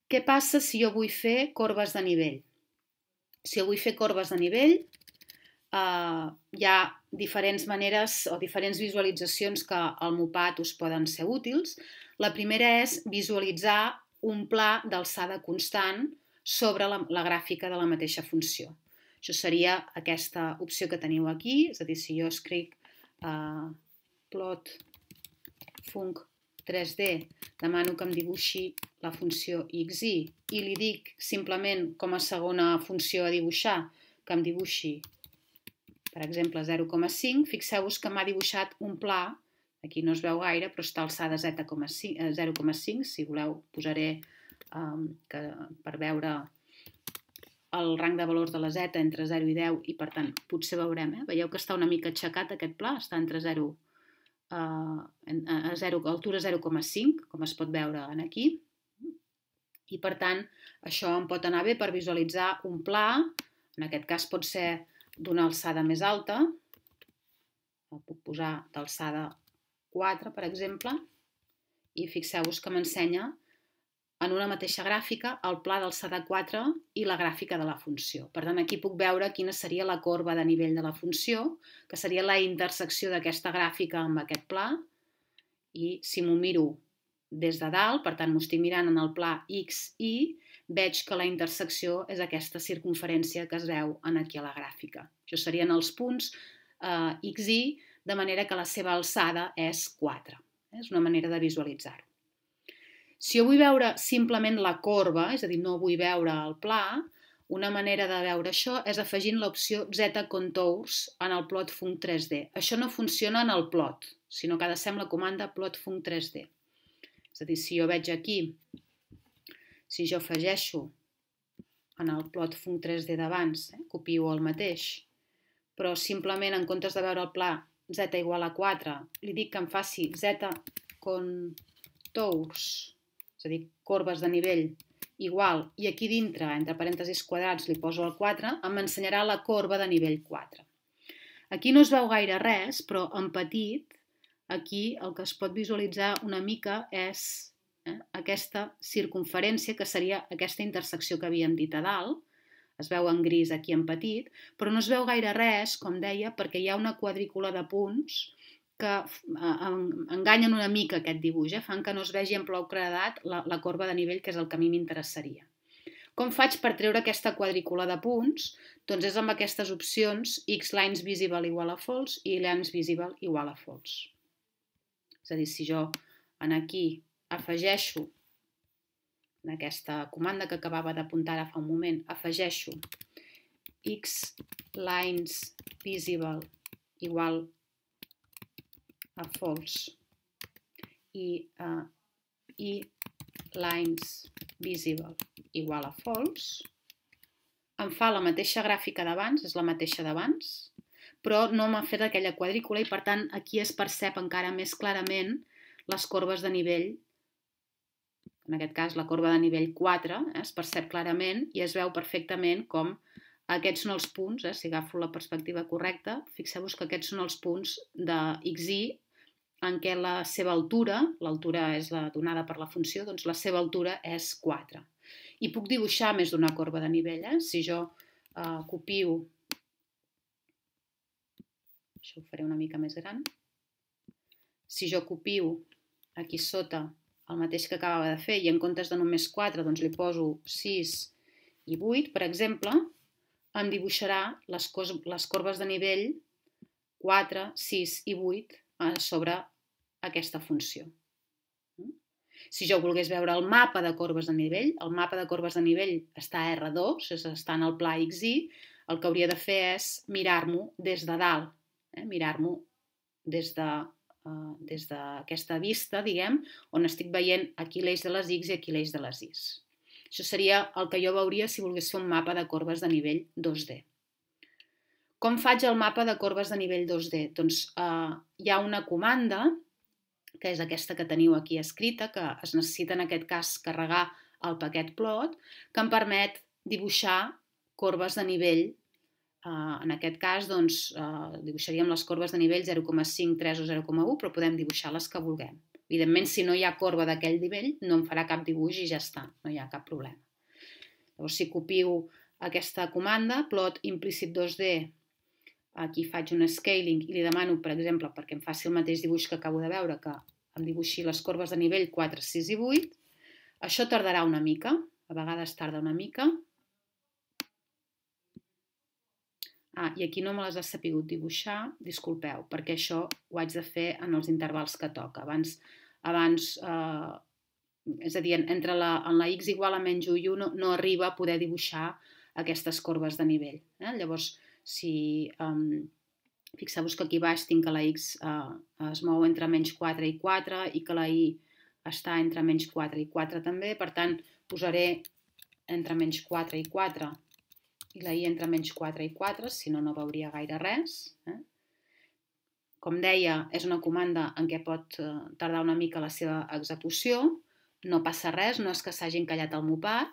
Què passa si jo vull fer corbes de nivell? Si jo vull fer corbes de nivell, hi ha diferents maneres o diferents visualitzacions que al MOPAT us poden ser útils. La primera és visualitzar un pla d'alçada constant sobre la gràfica de la mateixa funció. Això seria aquesta opció que teniu aquí, és a dir, si jo escric plot func 3D, demano que em dibuixi la funció xy i li dic simplement com a segona funció a dibuixar que em dibuixi, per exemple, 0,5, fixeu-vos que m'ha dibuixat un pla, aquí no es veu gaire, però està a alçada 0,5, si voleu posaré per veure el rang de valors de la z entre 0 i 10 i per tant potser veurem, veieu que està una mica aixecat aquest pla, està entre 0 a altura 0,5, com es pot veure aquí, i per tant això em pot anar bé per visualitzar un pla, en aquest cas pot ser d'una alçada més alta, el puc posar d'alçada 4, per exemple, i fixeu-vos que m'ensenya en una mateixa gràfica el pla d'alçada 4 i la gràfica de la funció. Per tant, aquí puc veure quina seria la corba de nivell de la funció, que seria la intersecció d'aquesta gràfica amb aquest pla, i si m'ho miro des de dalt, per tant m'ho estic mirant en el pla XY, veig que la intersecció és aquesta circunferència que es veu aquí a la gràfica. Això serien els punts XY, de manera que la seva alçada és 4. És una manera de visualitzar-ho. Si jo vull veure simplement la corba, és a dir, no vull veure el pla, una manera de veure això és afegint l'opció Z-Contours en el plot func 3D. Això no funciona en el plot, sinó que ha de ser amb la comanda plot func 3D. És a dir, si jo veig aquí, si jo afegeixo en el plot func 3D d'abans, copio el mateix, però simplement en comptes de veure el pla Z igual a 4, li dic que em faci Z-Contours, és a dir, corbes de nivell igual, i aquí dintre, entre parèntesis quadrats, li poso el 4, m'ensenyarà la corba de nivell 4. Aquí no es veu gaire res, però en petit, aquí el que es pot visualitzar una mica és aquesta circunferència, que seria aquesta intersecció que havíem dit a dalt, es veu en gris aquí en petit, però no es veu gaire res, com deia, perquè hi ha una quadrícula de punts que enganyen una mica aquest dibuix, fan que no es vegi en prou claredat la corba de nivell, que és el que a mi m'interessaria. Com faig per treure aquesta quadrícula de punts? Doncs és amb aquestes opcions xlines visible igual a false i lines visible igual a false. És a dir, si jo aquí afegeixo, en aquesta comanda que acabava d'apuntar ara fa un moment, afegeixo xlines visible igual a false i lines visible igual a false, em fa la mateixa gràfica d'abans, és la mateixa d'abans, però no m'ha fet aquella quadrícula i per tant aquí es percep encara més clarament les corbes de nivell, en aquest cas la corba de nivell 4, es percep clarament i es veu perfectament com aquests són els punts, si agafo la perspectiva correcta, fixeu-vos que aquests són els punts de XY en què la seva altura, l'altura és la donada per la funció, doncs la seva altura és 4. I puc dibuixar més d'una corba de nivell. Si jo copio, això ho faré una mica més gran, si jo copio aquí sota el mateix que acabava de fer i en comptes de només 4 doncs li poso 6 i 8, per exemple, em dibuixarà les corbes de nivell 4, 6 i 8 sobre aquesta funció. Si jo volgués veure el mapa de corbes de nivell, el mapa de corbes de nivell està a R2, està en el pla XY, el que hauria de fer és mirar-m'ho des de dalt, mirar-m'ho des d'aquesta vista, diguem, on estic veient aquí l'eix de les X i aquí l'eix de les Y. Això seria el que jo veuria si volgués fer un mapa de corbes de nivell 2D. Com faig el mapa de corbes de nivell 2D? Doncs hi ha una comanda, que és aquesta que teniu aquí escrita, que es necessita en aquest cas carregar el paquet plot, que em permet dibuixar corbes de nivell. En aquest cas, doncs, dibuixaríem les corbes de nivell 0,5, 3 o 0,1, però podem dibuixar les que vulguem. Evidentment, si no hi ha corba d'aquell nivell, no em farà cap dibuix i ja està, no hi ha cap problema. Llavors, si copio aquesta comanda, plot implicit 2D, aquí faig un scaling i li demano, per exemple, perquè em faci el mateix dibuix que acabo de veure, que em dibuixi les corbes de nivell 4, 6 i 8, això tardarà una mica, a vegades tarda una mica. I aquí no me les ha sapigut dibuixar, disculpeu, perquè això ho haig de fer en els intervals que toca. És a dir, en la x igual a menys 1 i 1 no arriba a poder dibuixar aquestes corbes de nivell. Llavors, si fixeu-vos que aquí baix tinc que la x es mou entre menys 4 i 4 i que la y està entre menys 4 i 4 també, per tant, posaré entre menys 4 i 4 i la y entre menys 4 i 4, si no, no veuria gaire res. Com deia, és una comanda en què pot tardar una mica la seva execució, no passa res, no és que s'hagi encallat el mopat.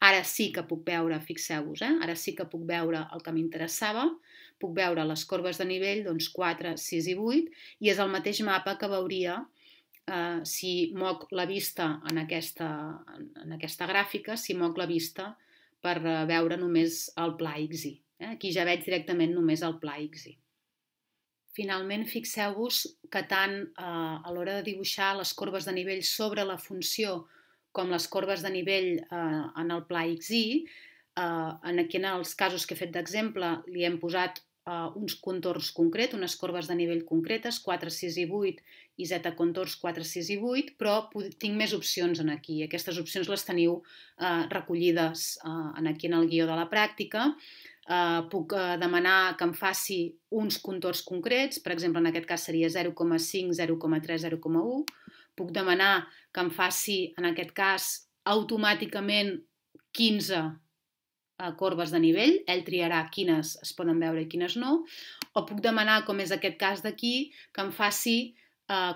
Ara sí que puc veure, fixeu-vos, ara sí que puc veure el que m'interessava, puc veure les corbes de nivell, doncs 4, 6 i 8, i és el mateix mapa que veuria si moc la vista en aquesta gràfica, si moc la vista per veure només el pla XY. Aquí ja veig directament només el pla XY. Finalment, fixeu-vos que tant a l'hora de dibuixar les corbes de nivell sobre la funció com les corbes de nivell en el pla XY, aquí en els casos que he fet d'exemple li hem posat uns contorns concrets, unes corbes de nivell concretes, 4, 6 i 8 i z contorns 4, 6 i 8, però tinc més opcions aquí. Aquestes opcions les teniu recollides aquí en el guió de la pràctica. Puc demanar que em faci uns contorns concrets, per exemple, en aquest cas seria 0,5, 0,3, 0,1. Puc demanar que em faci, en aquest cas, automàticament 15 corbes de nivell, ell triarà quines es poden veure i quines no, o puc demanar, com és aquest cas d'aquí, que em faci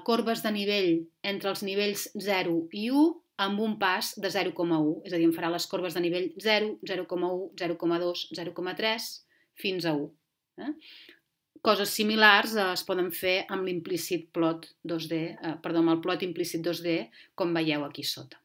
corbes de nivell entre els nivells 0 i 1 amb un pas de 0,1, és a dir, em farà les corbes de nivell 0, 0,1, 0,2, 0,3 fins a 1. Coses similars es poden fer amb l'implícit plot 2D, amb el plot implícit 2D, com veieu aquí sota.